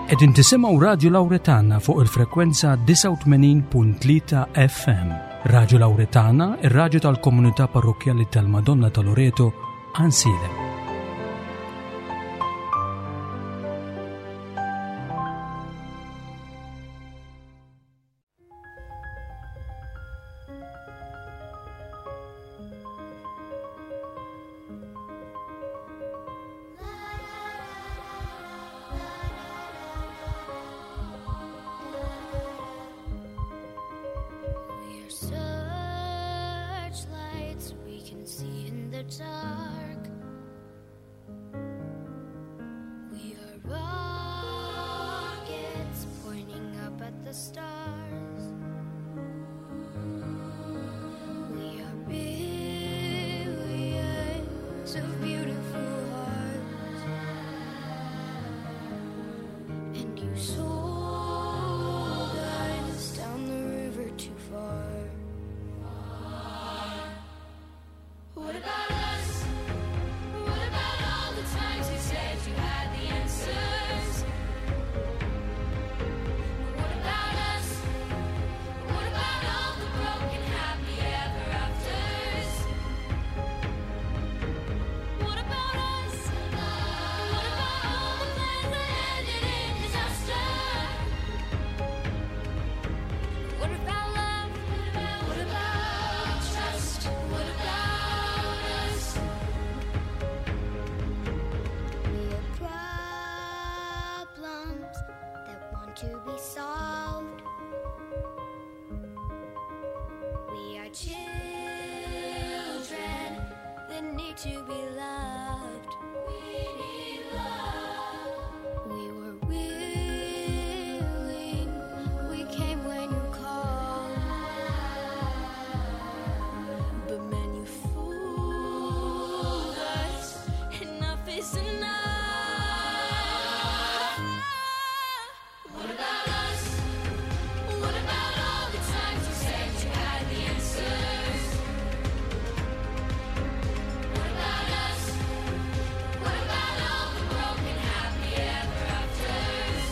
Qegħdin tisimgħu Radju Lawretana fuq il-frekwenza 89.3 FM. Radju Lawretana, ir-radju tal-komunità parrokkjali tal-Madonna ta' Loreto, Ansilem. See in the dark. We are rockets pointing up at the stars. We are billions of beautiful hearts. And you sold us down the river too far. What about us? What about all the times you said you had the answers? What about us? What about all the broken happy ever afters? What about us? What about all the plans that ended in disaster? What about love? What about trust? What about us? We are problems that want to be solved. We are children that need to be loved. We need love. We were willing. We came when you called. But man, you fooled us. Enough is enough. What about us? What about all the times you said you had the answers? What about us? What about all the broken happy ever afters?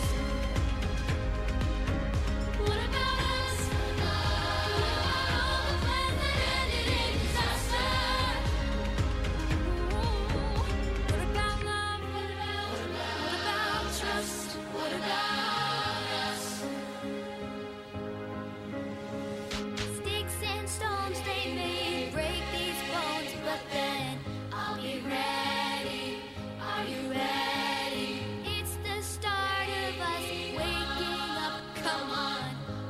What about us? What about all the plans that ended in disaster? What about love? What about trust? What about us? Sticks and stones, they may break these bones, but then I'll be ready. Are you ready? it's the start of us waking up. Come on.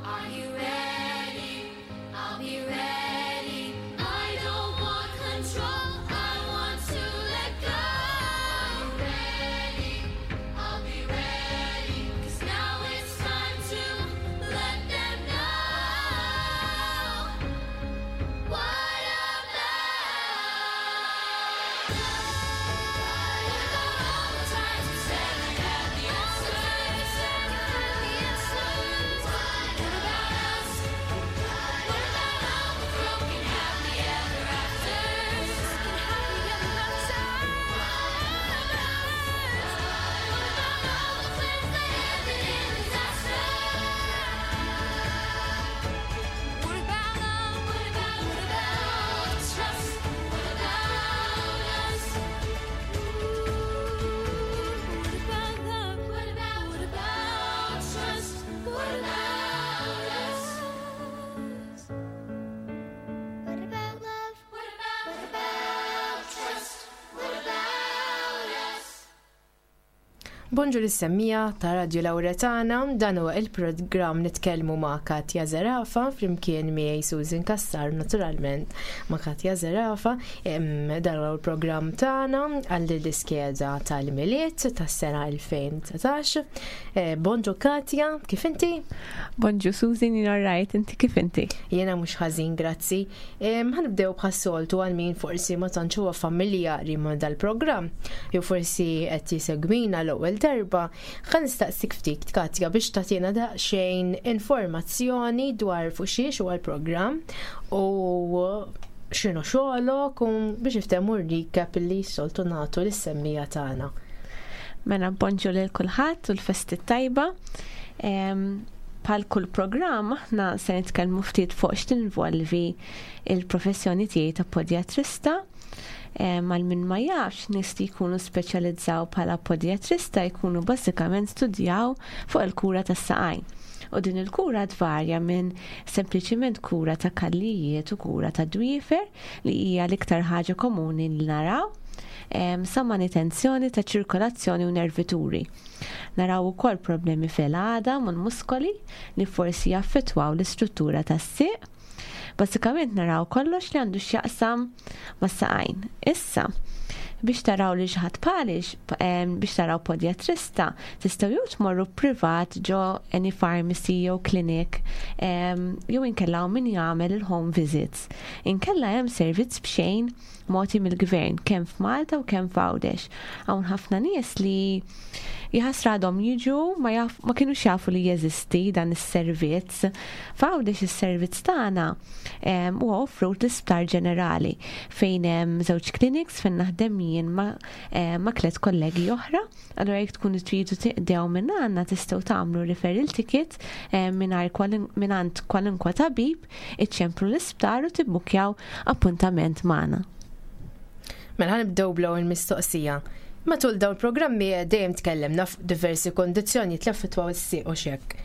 Are you ready? I'll be ready. I don't want control. I want to let go. Are you ready? I'll be ready. 'Cause now it's time to let them know. What about us? What about all the times you said you had the answers? What about us? What about all the broken happy ever afters? What about all the plans that ended in disaster? What about love? What about what about trust? What about us? What about love? What about what about trust? What about us? What about love? What about what about trust? What about us? Bonġu lis-semmiegħa ta' Radio Lawretana, dan huwa il-programm nitkellmu ma' Katja Zerafa, flimkien miegħi Susan Kassar, naturalment ma' Katja Zerafa. Dan huwa il-programm tagħna għall l-iskeda tal-Milied tas-sena 2019. Bonġu Katja, kif inti? Bonġu Susan, jien rajt, inti kif inti? Jiena mhux ħażin, grazzi. Ħanibdew bħas-soltu għal min forsi ma tantx huwa familjari ma' dal-programm, jew forsi qed jisegwina l-ewwel darba, ħa nistaqsik ftit Katja biex tagħtina daqsxejn informazzjoni dwar fuq xiex huwa l-programm u x'inhu xogħolok u biex iftehmu recap li soltu nagħtu lis-semmiegħa tagħna. Mela bonġu lil kulħadd u l-festi tajba. Bħal kull programm aħna se nitkellmu ftit fuq x'tinvolvi il-professjoni tiegħi ta' podjatrista. Għal min ma jafx, nies li jkunu speċjalizzaw bħala podjatrista jkunu bażikament studjaw fuq il-kura tas-saqajn. U din il-kura tvarja minn sempliċiment kura ta' kallijiet u kura ta' dwiefer li hija l-iktar ħaġa komuni li naraw, sa manutenzjoni ta' ċirkolazzjoni u nervituri. Naraw ukoll problemi fil-għadam u l-muskoli li forsi jaffettwaw l-istruttura tas-sieq. Bażikament naraw kollox li għandu x'jaqsam mas-saqajn. Issa, biex taraw li xi ħadd bħalix, biex taraw podjatrista, tistgħu jew tmorru privat ġo any pharmacy jew clinic, jew inkella hawn min jagħmel il-home visits. Inkella hemm servizz b'xejn mogħti mill-gvern kemm f'Malta u kemm f'Għawdex. Hawn ħafna nies li jħassra għadhom jiġu ma, jaf, ma kienux jafu li jeżisti dan is-servizz. F'Għawdex is-servizz tagħna huwa offrut l-Isptar Ġenerali fejn hemm żewġ clinics fejn naħdem jien ma tliet kollegi oħra. Allura jekk tkunu tridu tiqdew minn għandna tistgħu tagħmlu referral ticket mingħand kwalunkwe tabib, iċċemplu l-isptar u tibbukjaw appuntament magħna. Mela ħa nibdew bl-ewwel mistoqsija. Matul dawn il-programmi dejjem tkellimna fuq diversi kondizzjonijiet li affettwaw is-sieq u xek.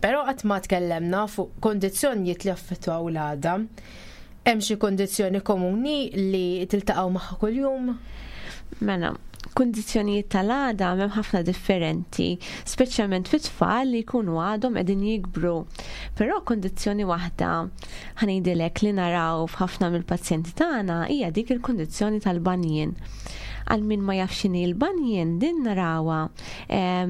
Però qatt ma tkellemna fuq kondizzjonijiet li affettwaw l-għadam. Hemm xi kondizzjoni komuni li tiltaqgħu magħha kuljum? Mela, kundizzjonijiet tal-għadam hemm ħafna differenti, speċjalment fit-tfal li jkunu għadhom qegħdin jikbru. Però kundizzjoni waħda ħa ngħidilek li naraw f'ħafna mill-pazjenti tagħna hija dik il-kundizzjoni tal-bunion. Għal min ma jafx x'inhi l-bunion, din narawha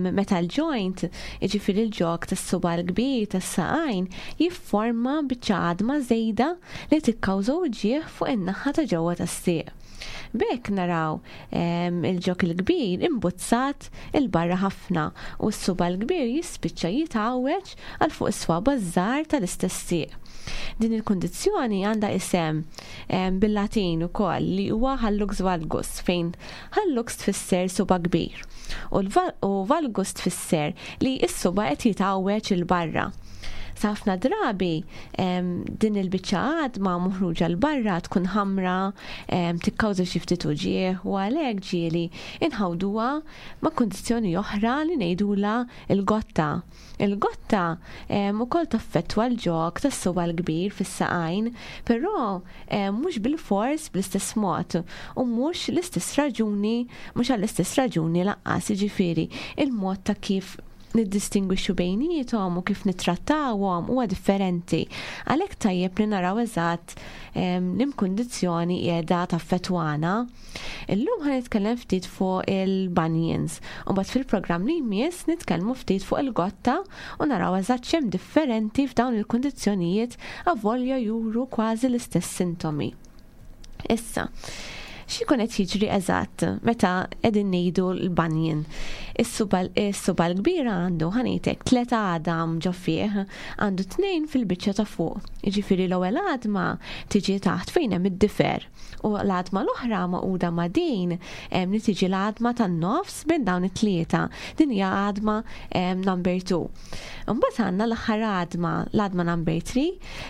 meta l-joint, jiġifieri l-ġog tas-suba l-kbir tas-saqajn, jifforma biċċa għadma żejda li tikkawża uġigħ fuq in-naħa ta' ġewwa tas-sieq. B'hekk naraw il-ġog il-kbir imbuzzat il-barra ħafna u s-suba l-kbir jispiċċa jitgħawweġ għal fuq is-swaba żgħar tal-istess sieq. Din il-kundizzjoni għandha isem bil-Latin ukoll li huwa hallux valgus, fejn hallux tfisser suba kbir u valgus tfisser li s-suba qed jitgħawweġ il-barra. Sa ħafna drabi din il-biċċa għadma moħruġa 'l barra tkun ħamra, tikkawża xi ftit uġigħ u għalhekk ġieli inħawduha ma' kundizzjoni oħra li ngħidulha il-gotta. Il-gotta ukoll taffettwa l-ġog tas-suba l-kbir fis-saqajn, però mhux bil-fors bl-istess mod u mhux l-istess raġuni, mhux għall-istess raġuni lanqas, jiġifieri il-mod ta' kif niddistingwixxu bejniethom u kif nittrattawhom huwa differenti. Għalhekk tajjeb li naraw eżatt l-imkundizzjoni qiegħda taffettwana. Illum ħa nitkellem ftit fuq il-bunions u mbagħad fil-programm li jmiss nitkellmu ftit fuq il-gotta u naraw eżatt x'hemm differenti f'dawn il-kundizzjonijiet avolja juru kważi l-istess sintomi. Issa, x'ikun qed jiġri eżatt meta qegħdin ngħidu l-bunion? Is-suba l-kbira għandu, ħa ngħidlek, tliet għadam ġo fih, għandu tnejn fil-biċċa ta' fuq. Jiġifieri l-ewwel għadma tiġi taħt fejn hemm id-difer u l-għadma l-oħra magħquda ma' din li tiġi l-għadma tan-nofs bejn dawn it-tlieta. Din hija għadma number 2. Imbagħad għandna l-aħħar għadma, l-għadma number 3,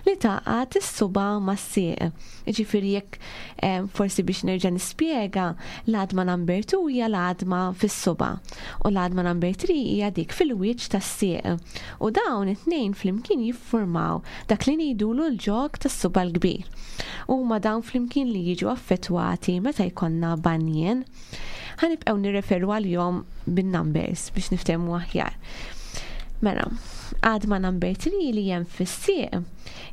li tgħaqqad is-suba mas-sieq. Jiġifieri jekk forsi biex nerġa' nispjega, l-għadma number 2 hija l-għadma fis-suba u l-għadma number 3 hija dik fil-wiċċ tas-sieq. U dawn it-tnejn flimkien jiffurmaw dak li ngħidulu l-ġog tas-suba l-kbir. Huma dawn flimkien li jiġu affettwati meta jkollna bunion. Ħa nibqgħu nirreferu għalihom bin-numbers biex niftehmu aħjar. Mela, għadma number 3 li hemm fis-sieq,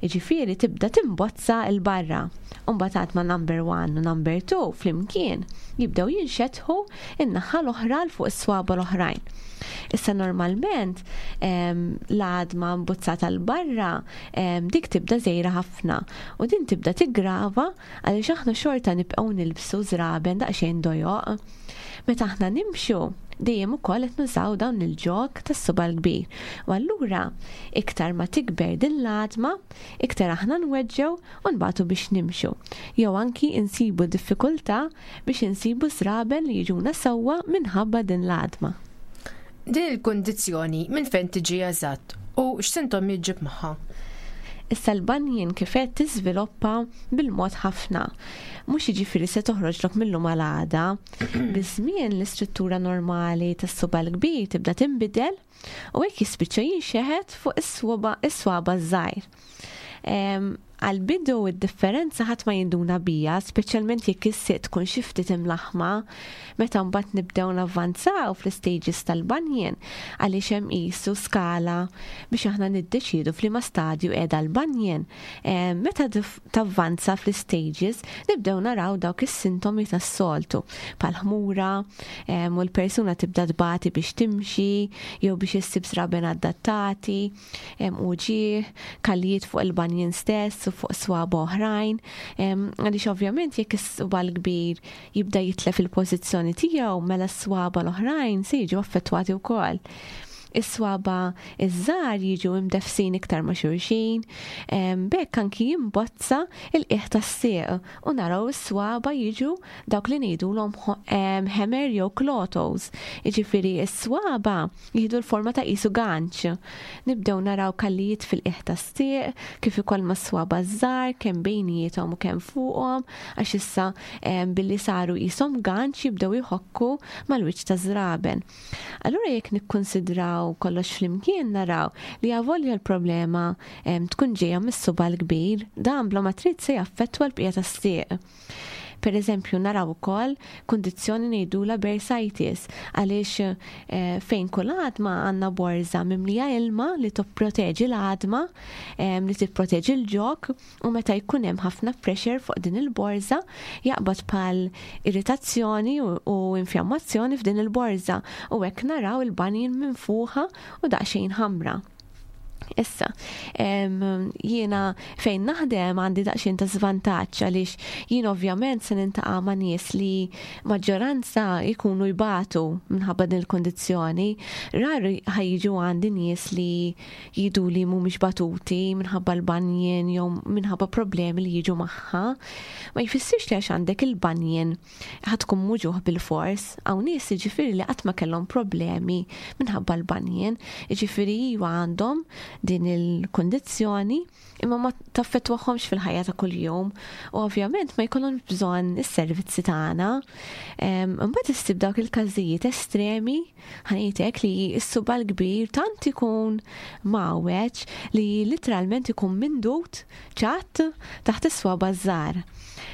jiġifieri tibda timbozza 'l barra. U mbagħad għadma number 1 u number 2 flimkien jibdew jinxetħu in-naħa l-oħra 'l fuq is-swaba l-oħrajn. Issa normalment l-għadma mbuzzata 'l barra dik tibda żgħira ħafna u din tibda tiggrava għaliex aħna xorta nibqgħu nilbsu żraben daqsxejn dojoq. Meta aħna nimxu, Dejjem ukoll qed nużaw dawn il-ġog tas-suba' l-kbir. U allura iktar ma tikber din l-għadma, iktar aħna nweġġgħu u nbatu biex nimxu. Jew anki insibu diffikultà biex insibu żraben li jiġuna sewwa minħabba din l-għadma. Din il-kundizzjoni minn fejn tiġi eżatt u x'sintomi ġġib magħha? Issa l-banjin kif qed tiżviluppa bil-mod ħafna. Mhux jiġifieri se toħroġlok mil-lum għal għada. Biż-żmien l-istruttura normali tas-suba' l-kbir tibda tinbidel u hekk jispiċċa jinxeħet fuq is-swaba' ż-żgħir. Għall-bidu id-differenza ħadd ma jinduna biha, speċjalment jekk is-sieq tkun xi ftit imlaħħma. Meta mbagħad nibdew navvanzaw fl-istages tal-banjen, għaliex hemm qisu skala biex aħna niddeċiedu f'liema stadju qiegħda l-banjen, meta tavvanza fl-istages nibdew naraw dawk is-sintomi tas-soltu, bħal ħmura, u l-persuna tibda tbati biex timxi jew biex issib żraben adattati. Hemm uġigħ, kallijiet fuq il-banjin stess u fuq swaba oħrajn, għaliex ovvjament jekk is-suba l-kbir jibda jitlef il-pożizzjoni tiegħu mela s-swaba l-oħrajn se jiġu affettwati wkoll. Is-swaba iż-żgħar jiġu imdeffsin iktar ma' xulxin, b'hekk anki jimbozza l-qiegħ tas-sieq u naraw is-swaba jiġu dawk li ngħidulhom hammer jew claw toes. Jiġifieri s-swaba jieħdu l-forma ta' qisu ganċ. Nibdew naraw kallijiet fil-qiegħ tas-sieq, kif ukoll mas-swaba' ż-żgħar, kemm bejniethom u kemm fuqhom, għax issa billi saru qishom ganċ jibdew jħokku mal-wiċċ taż-żraben. Allura jekk nikkunsidraw kollox flimkien naraw li avolja l-problema tkun ġejja mis-suba' l-kbir, dan bla ma trid se jaffettwa l-bqija tas-sieq. Per eżempju, naraw ukoll kundizzjoni ngħidulha bursitis għaliex eh, fejn kull għadma għandna borża mimlija ilma li tipproteġi l-għadma, eh, li tipproteġi l-ġok u meta jkun hemm ħafna pressure fuq din il-borża jaqbad bħal irritazzjoni u infjammazzjoni f'din il-borża u hekk naraw il-banjin minfuħa u daqsxejn ħamra. Issa, jiena fejn naħdem għandi daqsxejn ta' żvantaġġ għaliex jien ovvjament se nintaqa' ma' nies li maġġoranza jkunu jbatu minħabba din il-kundizzjoni. Rari ħajġu għandi nies li jgħidu li mhumiex batuti minħabba l-banjin jew minħabba problemi li jiġu magħha. Ma jfissirx li għax għandek il-banjin Ħa tkun muġugħ bilfors. Hawn nies jiġifieri li qatt ma kellhom problemi minħabba l-banjien, jiġifieri iva għandhom din il-kundizzjoni imma ma taffettwahomx fil-ħajja ta' kuljum u ovvjament ma jkollhomx bżonn is-servizzi tagħna. Imbagħad issib dawk il-każijiet estremi ħanejtek li s-suba l-kbir tant ikun mgħawweġ li literalment ikun mindut ċatt taħt is-swaba' ż-żgħar.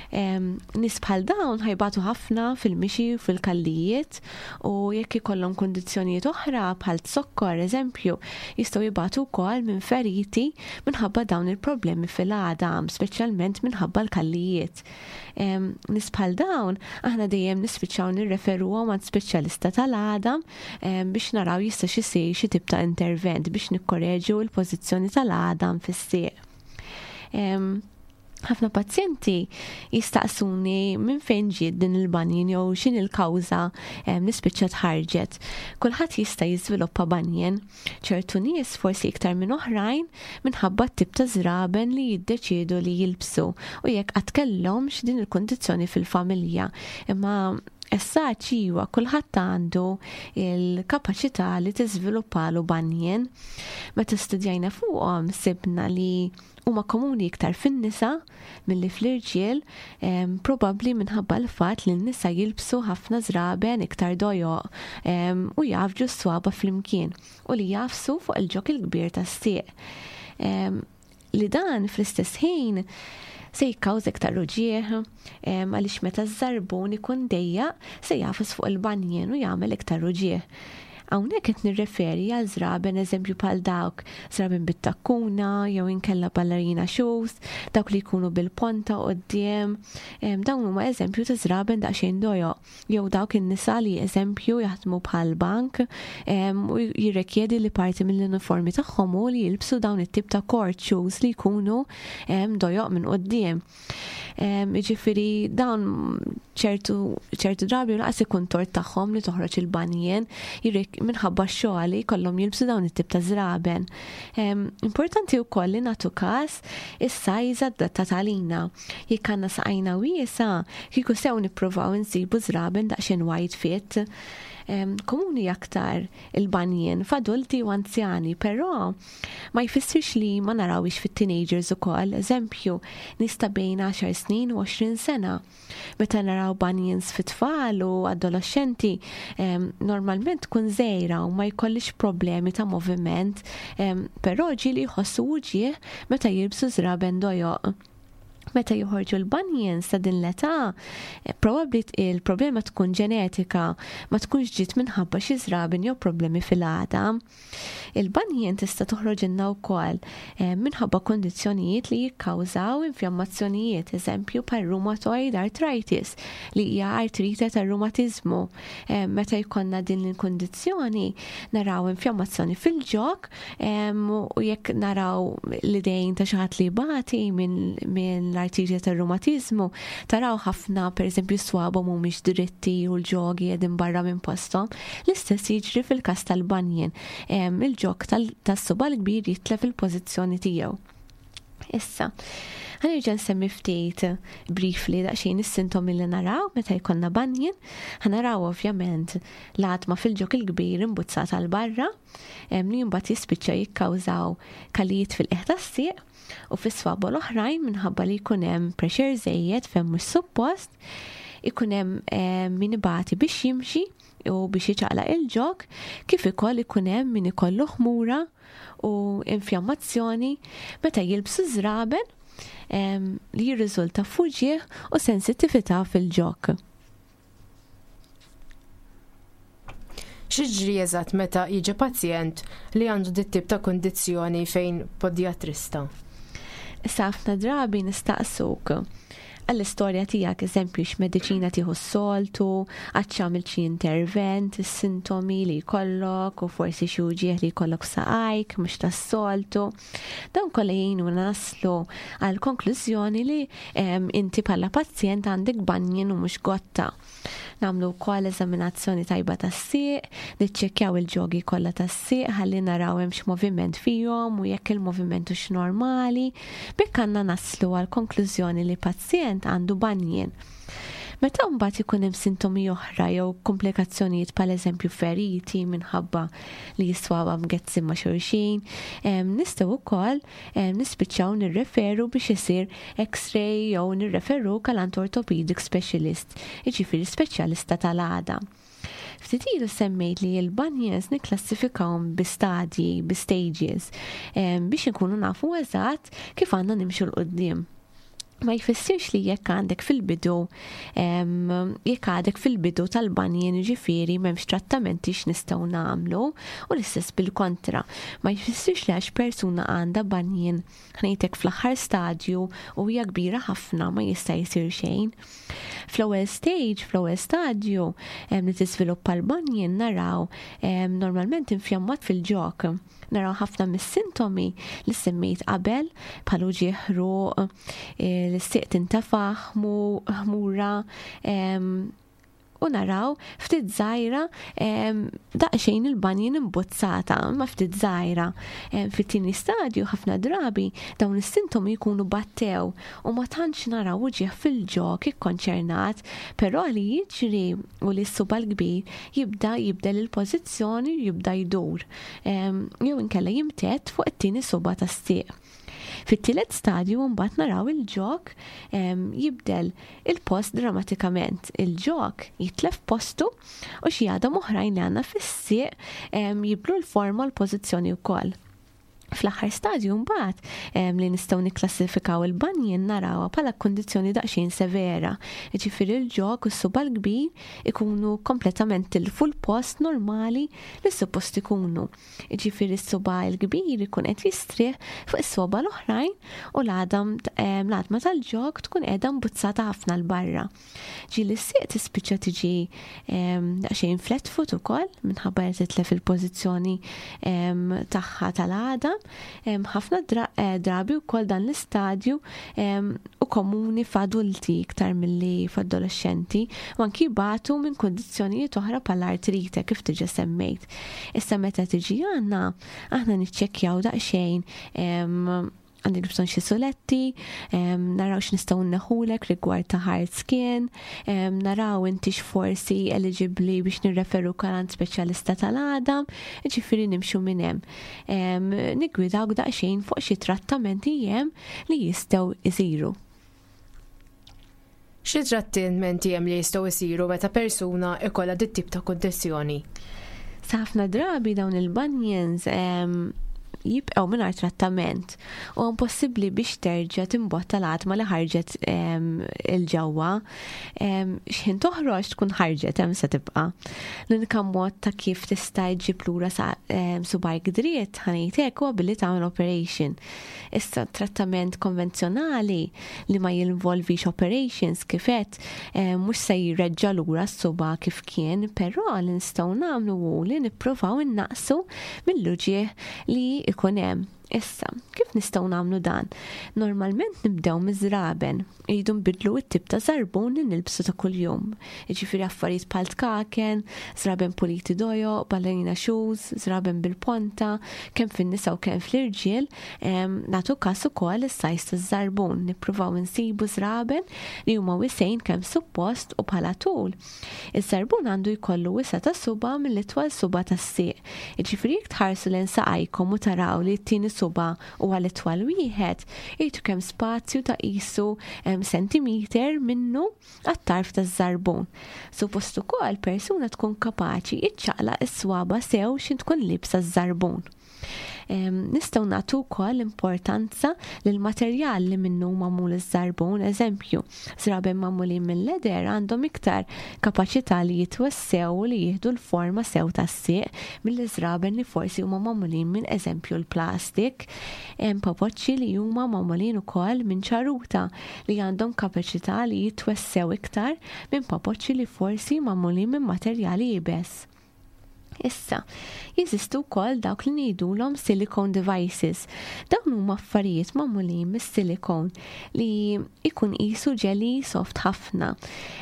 Nies bħal dawn ħajbatu ħafna fil-mixi u fil-kallijiet u jekk ikollhom kundizzjonijiet oħra bħal zokkor eżempju, jistgħu jibatu wkoll minn feriti minħabba dawn il-problemi fil-għadam, speċjalment minħabba l-kallijiet. Nies bħal dawn aħna dejjem nispiċċaw nirreferuhom għand speċjalista tal-għadam biex naraw jistax isir xi tip ta' intervent biex nikkoreġu l-pożizzjoni tal-għadam fis-sieq. Ħafna pazjenti jistaqsuni minn fejn ġiet din il-banjen jew x'in il-kawża li spiċċat ħarġet. Kulħadd jista' jiżviluppa banjen. Ċertu nies forsi iktar minn oħrajn minħabba t-tip ta' żraben li jiddeċiedu li jilbsu u jekk qatt kellhomx din il-kundizzjoni fil-familja. Imma Essaċ iwa, kulħadd għandu il-kapaċità li tiżviluppalu banjen. Meta studjajna fuqhom sibna li huma komuni iktar fin-nisa milli fl-irġiel, probabbli minħabba l-fatt li n-nisa jilbsu ħafna żraben iktar dojoq u jgħaffġu s-swaba' flimkien u li jagħfsu fuq il-ġog il-kbir tas-sieq. Li dan fl-istess ħin se jikkawża iktar uġigħ għaliex meta ż-żarbun ikun dejjaq se jagħfas fuq il-banjien u jagħmel iktar uġigħ. Hawnhekk qed nirreferi għal żraben eżempju bħal dawk żraben bit-takkuna jew inkella ballerina shoes, dawk li jkunu bil-ponta quddiem, dawn huma eżempju ta' żraben daqsxejn dojoq. Jew dawk in-nisa li eżempju jaħdmu bħal bank u jirrekjedi li parti mill-uniformi tagħhom hu li jilbsu dawn it-tip ta' court shoes li jkunu dojoq minn quddiem. Jiġifieri dawn ċertu ċertu drabi laqas ikun tort tagħhom li toħroġ il-banjien minħabba x-xogħol li jkollhom jilbsu dawn it-tip ta' żraben. Importanti wkoll li nagħtu każ is-size adattata għalina. Jekk għandna saqajna wiesgħa, kieku sew nippruvaw insibu żraben daqsxejn wide fit. Komuni aktar il-banjien f'adulti u anzjani, però Ma jfissirx li ma narawhiex fit-teenagers ukoll, eżempju, nies ta' bejn għaxar snin u 20 sena. Meta naraw bunions fit-tfal u adoloxxenti, normalment tkun żgħira u ma jkollhiex problemi ta' moviment, però ġieli jħossu uġigħ meta jilbsu żraben dojoq. Meta joħorġu l-bunions ta' din l-età, probabbli il-problema tkun ġenetika, ma tkunx ġiet minħabba xi żraben jew problemi fil-għadam. Il-banjien tista' toħroġilna wkoll eh, minħabba kundizzjonijiet li jikkawżaw infjammazzjonijiet, eżempju bħal rheumatoid arthritis li hija artrite tar-rumatiżmu. Eh, meta jkollna din il-kundizzjoni naraw infjammazzjoni fil-ġok eh, u jekk naraw l-idejn ta' xi ħadd li jbati minn l-artrite tar-rumatiżmu, taraw ħafna pereżempju swabhom mhumiex dritti u l-ġogi qegħdin barra minn posthom. L-istess jiġri fil-każ tal-banjien. Il-ġog tas-suba' l-kbir jitlef il-pożizzjoni tiegħu. Issa, ħanerġa' nsemmi ftit briefly daqsxejn is-sintomi li naraw meta jkollna banjien. Ħanaraw ovvjament l-għatma fil-ġog il-kbir imbuzzata għal barra, li mbagħad jispiċċa jikkawżaw kalijiet fil-qiegħ tas-sieq u fis-swaba l-oħrajn minħabba li jkun hemm pressure żejjed fejn mhux suppost, ikun hemm min ibati biex jimxi u biex jiċaqlaq il-ġog, kif ukoll ikun hemm min ikollu ħmura u infjammazzjoni meta jilbsu żraben li jirriżulta f'uġigħ u sensittività fil-ġog. X'jiġri eżatt meta jiġi pazjent li għandu dit-tip ta' kundizzjoni fejn podjatrista? Issa ħafna drabi nistaqsuk għall-istorja tiegħek, eżempju x'mediċina tieħu s-soltu, għad x'għamilt xi intervent, is-sintomi li jkollok u forsi xi uġigħ li jkollok f'saqajk mhux tas-soltu. Dawn kollha jgħinuna naslu għal konklużjoni li inti bħala pazjent għandek banjin u mhux gotta. Nagħmlu wkoll eżaminazzjoni tajba tas-sieq, niċċekkjaw il-ġogi kollha tas-sieq ħalli naraw hemmx moviment fihom u jekk il-moviment hux normali. B'hekk għandna naslu għal konklużjoni li pazjent għandu banjin. Meta mbagħad ikun hemm sintomi oħra jew komplikazzjonijiet bħal eżempju feriti minħabba li jiswawa mgezzin ma' xulxin, nistgħu wkoll nispiċċaw nirreferu biex isir x-ray jew nirreferuk għal għand orthopedic specialist, jiġifieri speċjalista tal-għadam. Ftit ilu semmejt li l-bunions nikklassifikawhom bi stadji, bi stages, biex inkunu nafu eżatt kif għandna nimxu 'l quddiem. Ma jfissirx li jekk għandek fil-bidu jekk għadek fil-bidu tal-banjin ġifieri m'hemmx trattamenti x'nistgħu nagħmlu u l-istess bil-kontra. Ma jfissirx li għax persuna għandha banjin ħnejtek fl-aħħar stadju u hija kbira ħafna ma jista' jsir xejn. Fl-ewwel stage, fl-ewwel stadju li tiżviluppa l-banjin naraw normalment infjammat fil-ġok. Naraw ħafna mis-sintomi li semmejt qabel, bħal uġigħ ħruq, l-sieq tintefaħ, ħmura, u naraw ftit żgħira daqsxejn il-banjin imbuzzata, imma ftit żgħira. Fit-tieni stadju ħafna drabi dawn is-sintomi jkunu battew u ma tantx naraw uġigħ fil-ġog ikkonċernat, però li jiġri u li s-suba l-kbir jibda jibdel il-pożizzjoni u jibda jdur. Jew inkella jimtedd fuq it-tieni suba tas-sieq. Fit-tielet stadju mbagħad naraw il-ġog jibdel il-post drammatikament. Il-ġog jitlef postu u xi għadam oħrajn li għandna fis-sieq jibdlu l-forma u l-pożizzjoni wkoll. Fl-aħħar stadju mbagħad li nistgħu nikklassifikaw il-bunion narawha bħala kundizzjoni daqsxejn severa. Jiġifieri l-ġog u s-suba' l-kbir ikunu kompletament tilfu l-post normali li suppost ikunu. Jiġifieri s-suba' l-kbir ikun qed jistrieħ fuq is-swaba' l-oħrajn u l-għadam l-għadma tal-ġog tkun qiegħda mbuzzata ħafna 'l barra. Ġieli s-sieq tispiċċa tiġi daqsxejn flat foot ukoll minħabba li titlef il-pożizzjoni tagħha tal-għadam. Ħafna drabi wkoll dan l-istadju u komuni f'adulti iktar milli f'adolexxenti u anki jbatu minn kundizzjonijiet oħra bħal artrite kif diġà semmejt. Issa meta tiġi għandna aħna niċċekkjaw daqsxejn għandek bżonn xi suletti, naraw x'nistgħu nneħħulek rigward ta' hard skin, naraw inti forsi eligibbli biex nirreferu għand speċjalista tal-għadam, ġifieri nimxu minn hemm. Niggwidawk daqsxejn fuq xi trattamenti hemm li jistgħu jsiru. Xi trattamenti hemm li jistgħu jsiru meta persuna ikollha dit tip ta' kundizzjoni? Sa ħafna drabi dawn il-bunions jibqgħu mingħajr trattament u impossibbli biex terġa' timbotta l-għatma li ħarġet 'il ġewwa. X'ħin toħroġ tkun ħarġet hemm se tibqa'. L-unika mod ta' kif tista' ġġib lura subgħajk dritt ħa ngħidlek huwa billi tagħmel operation. Issa trattament konvenzjonali li ma jinvolvix operations kif għedt mhux se jreġġa' lura s-suba' kif kien, però li nistgħu nagħmlu hu li nippruvaw innaqsu mill-uġigħ li ikun hemm. Issa, kif nistgħu nagħmlu dan? Normalment nibdew miż-żraben. Iridu nbidlu t-tip ta' żarbun li nilbsu ta' kuljum. Jiġifieri affarijiet bħal tkaken, żraben puliti dojoq, ballerina shoes, żraben bil-ponta, kemm fin-nisa u kemm fl-irġiel, nagħtu każ ukoll is-size taż-żarbun. Nippruvaw insibu żraben li huma wisgħin kemm suppost u bħala tul. Iż-żarbun għandu jkollu wisa' ta' suba' mill-itwal suba' tas-sieq. Jiġifieri jekk tħarsu lejn saqajkom u taraw li t-tieni suba' huwa l-itwal wieħed, irtu kemm spazju ta' qisu centimeter minnu għat-tarf taż-żarbun. Suppost ukoll persuna tkun kapaċi iċċaqlaq is-swaba' sew x'in tkun liebsa ż-żarbun. Nistgħu nagħtu wkoll importanza lil materjal li minnu magħmul iż-żarbun, eżempju, żraben magħmulin minn leather għandhom iktar kapaċità li jitwessew u li jieħdu l-forma sew tas-sieq mill-żraben li forsi huma magħmulin minn eżempju l-plastik. Hemm papoċċi li huma magħmulin ukoll minn ċaruta li għandhom kapaċità li jitwessew iktar minn papoċċi li forsi magħmulin minn materjali iebes. Issa, jeżistu wkoll dawk li ngħidulhom silicone devices. Dawn huma affarijiet magħmulin mis-silicone li jkun qisu jelly soft ħafna.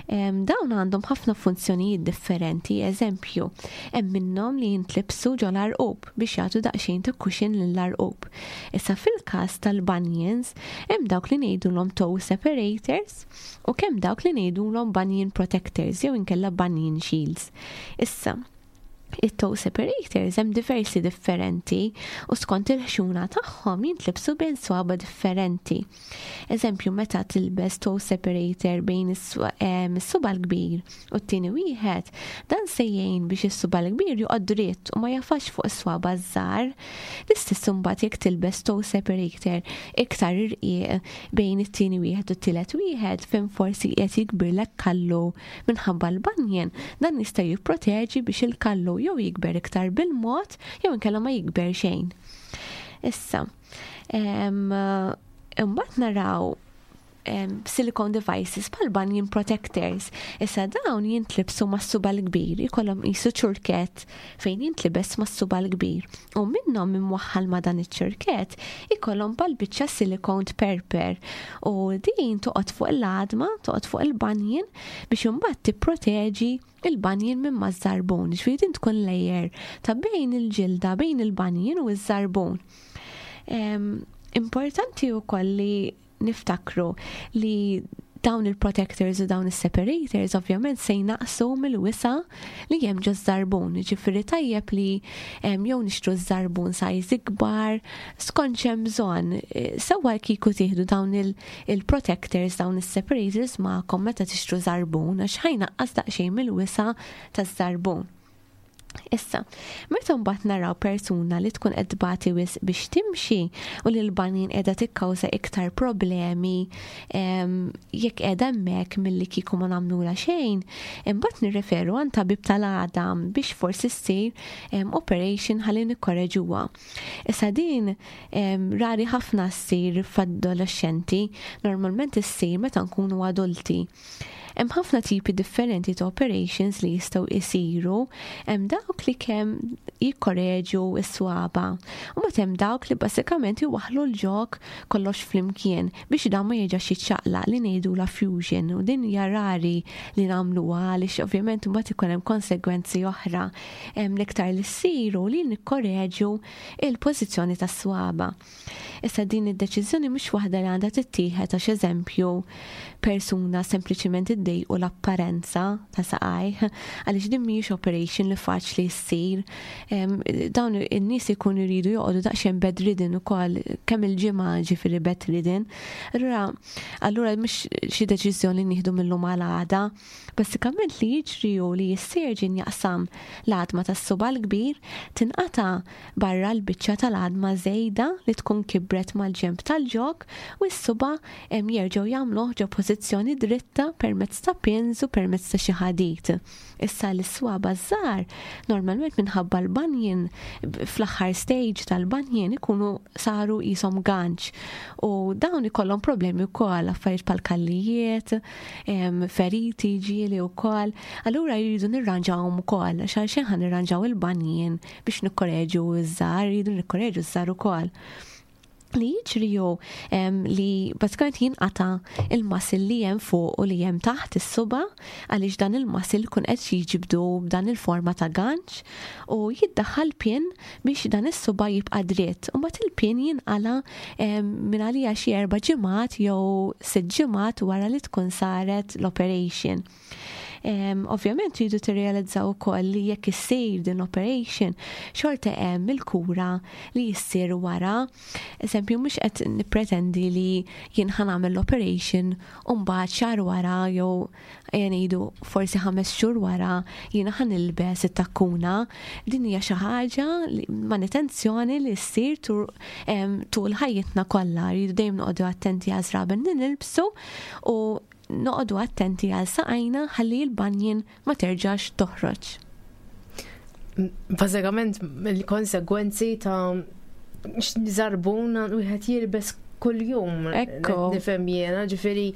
Dawn għandhom ħafna funzjonijiet differenti, eżempju, hemm minnhom li jintlibsu ġol-għarqub biex jagħtu daqsxejn ta' cushion lill-għarqub. Issa fil-każ tal-bunions, hemm dawk li ngħidulhom toe separators u kemm dawk li ngħidulhom bunion protectors jew inkella bunion shields. Issa, it-toe separators hemm diversi differenti u skont il-ħxuna tagħhom jintlibsu bejn swaba differenti. Eżempju, meta tilbes toe separator bejn is-suba l-kbir u t-tieni wieħed, dan se jgħin biex is-suba l-kbir joqgħod dritt u ma jafax fuq is-swaba żgħar. L-istess imbagħad jekk tilbes toe separator iktar irqiq bejn it-tieni wieħed u t-tielet wieħed fejn forsi qed jikbirlek kallu minħabba l-bunion, dan jista' jipproteġi biex il-kallu jew jikber iktar bil-mod jew inkella ma jikber xejn. Issa, imbagħad naraw silicone devices bħal bunion protectors. Issa dawn jintlibsu mas-suba l-kbir, ikollhom qisu ċurket fejn jintlibes mas-suba l-kbir. U minnhom imwaħħal ma' dan iċ-ċurket ikollhom bħal biċċa silicone perper. U din toqgħod fuq l-għadma, toqgħod fuq il-bunion biex imbagħad tipproteġi il-bunion minn maż-żarbun. Ġifieri din tkun layer ta' bejn il-ġilda, bejn il-bunion u ż-żarbun. Importanti wkoll li niftakru li dawn il-protectors u dawn il-separators ovvjament se jnaqsu mill-wisa li hemm ġo żarbun. Ġifieri tajjeb li jew nixtru żarbun size ikbar, skont x'hemm bżonn. Sewwa kieku tieħdu dawn il-protectors, dawn il-separators magħkom meta tixtru żarbun għax ħa jnaqqas daqsxejn mill-wisa taż-żarbun. Issa, meta mbagħad naraw persuna li tkun qed tbati wisq biex timxi u li l-banjin qiegħda tikkawża iktar problemi jekk qiegħda hemmhekk milli kieku ma nagħmlulha xejn, imbagħad nirreferu għand tabib tal-għadam biex forsi ssir operation ħalli nikkoreġuha. Issa din rari ħafna ssir f'adolexxenti, normalment issir meta nkunu adulti. Hemm ħafna tipi differenti ta' operations li jistgħu jsiru, hemm dawk li kemm jikkoreġu s-swaba, u mbagħad hemm dawk li bażikament iwaħħlu l-ġog kollox flimkien biex dan ma jerġax jiċċaqlaq li ngħidulha fusion u din hija rari li nagħmluha għaliex ovvjament imbagħad ikun hemm konsegwenzi oħra. Hemm l-iktar li ssir hu li nikkoreġu il-pożizzjoni tas-swaba. Issa din id-deċiżjoni mhux waħda li għandha tittieħed għax eżempju persuna sempliċiment iddejqu l-apparenza ta' saqajh, għaliex din mhijiex operation li faċli ssir. Dawn in-nies ikunu jridu joqogħdu daqsxejn bedridden ukoll kemm il-ġimgħa ġifieri bedridden. Allura allura mhux xi deċiżjoni nieħdu mill-lum għal għada. Bażikament li jiġri hu li s-surgeon jaqsam l-għadma tas-suba' l-kbir, tinqata' barra l-biċċa tal-għadma żejda li tkun kibret mal-ġenb tal-ġog u s-suba' jerġgħu jagħmluh ġo pożizzjoni dritta permezz ta' pins u permezz ta' xi ħadid. Issa l-iswaba' ż-żgħar normalment minħabba l-banjin fl-aħħar stage tal-banjin ikunu saru qishom ganċ u dawn ikollhom problemi wkoll affarijiet bħal kallijiet, feriti ġieli wkoll. Allura jridu nirranġawhom ukoll għax għalxejn ħa nirranġaw il-banjin biex nikkoreġu ż-żgħar, jridu nikkoreġu ż-żgħar ukoll. Li jiġri hu li bażikament jinqata' il-muscle li hemm fuq u li hemm taħt is-suba' għaliex dan il-muscle jkun qed jiġbdu b'dan il-forma ta' ganċ u jiddaħħal pin biex dan is-suba' jibqa' dritt. U mbagħad il-pin jinqala' minn għalija xi 4 ġimgħat jew 6 ġimgħat wara li tkun saret l-operation. Ovvjament tridu tirrealizzaw ukoll li jekk issir din l-operation, xorta hemm il-kura li jissir wara. Eżempju, mhux qed nippretendi li jien ħa nagħmel l-operation u mbagħad xahar wara jew ejja ngħidu forsi 5 xhur wara jiena ħa nilbes it-takkuna. Din hija xi ħaġa li manutenzjoni li ssir tul ħajjitna kollha. Rridu dejjem noqogħdu attenti għaż-żraben li nilbsu u noqogħdu attenti għal saqajna ħalli l-banjin ma terġax toħroġ. Bażikament il-konsegwenzi ta' żarbun wieħed jilbes kuljum. Ekku. Nifhem jiena, ġifieri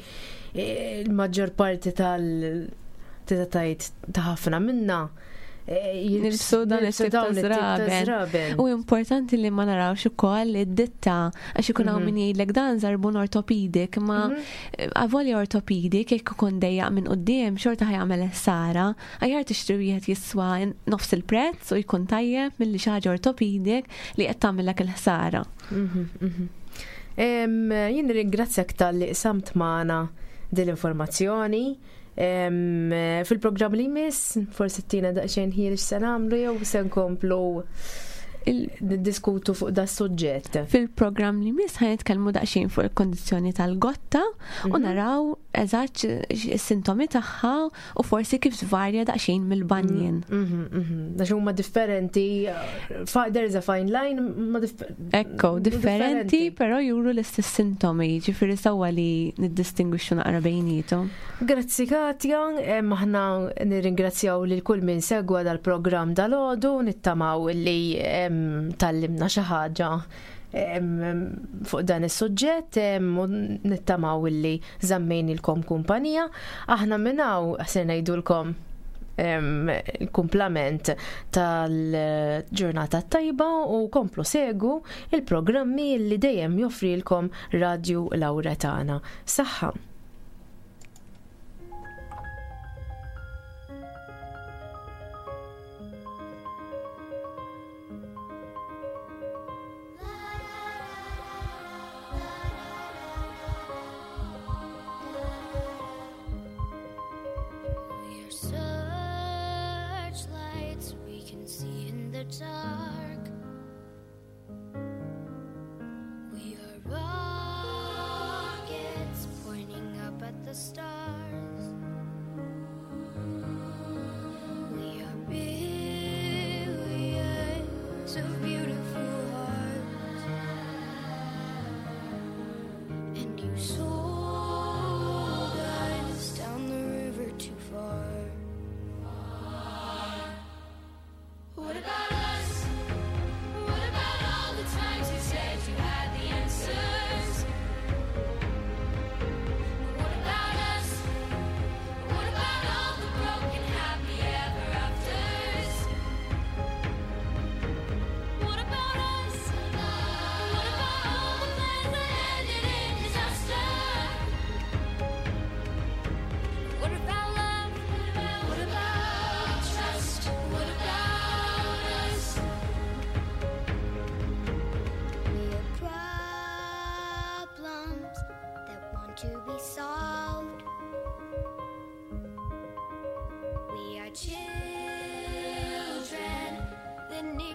il-maġġor parti tal tista' tgħid ta' ħafna minna Nilbsu dan it-tip ta' żraben. U importanti li ma narawx ukoll id-ditta għax ikun hawn mhm. min jgħidlek dan żarbun ortopedik, ma mhm. eh, avolja ortopedik jekk ikun dejjaq minn quddiem xorta ħajamel ħsara, aħjar tixtri wieħed jiswa nofs il-prezz u jkun tajjeb milli xi ħaġa ortopedik li qed tagħmellek il-ħsara. Mhm, Jien ringrazzjak tal-li qsamt magħna din l-informazzjoni. Fil-programm li jmiss, forsi tina daqsxejn ħin x'se nagħmlu jew se nkomplu niddiskutu fuq da suġġett. Fil-programm li jmiss ħa nitkellmu daqsxejn fuq il-kondizzjoni tal-gotta u naraw eżatt is-sintomi tagħha u forsi kif tvarja daqsxejn mill-banjin. Għax huma differenti, there is a fine line, ma Ekko, differenti, però juru l-istess sintomi, ġifieri sewwa li niddistingwixxu naqra bejniethom. Grazzi Katja, aħna nirringrazzjaw lil kull min segwa dal-programm dal-għodu, nittamaw li tgħallimna xi ħaġa fuq dan is-suġġett u nittamaw li żammejnilkom kumpanija. Aħna minn hawn se ngħidulkom il-kumplament tal-ġurnata tajba u komplu segu il-programmi li dejjem joffrilkom Radju Lawretana. Saħħa! We are searchlights we can see in the dark. We are rockets pointing up at the stars. We are billions.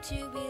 to be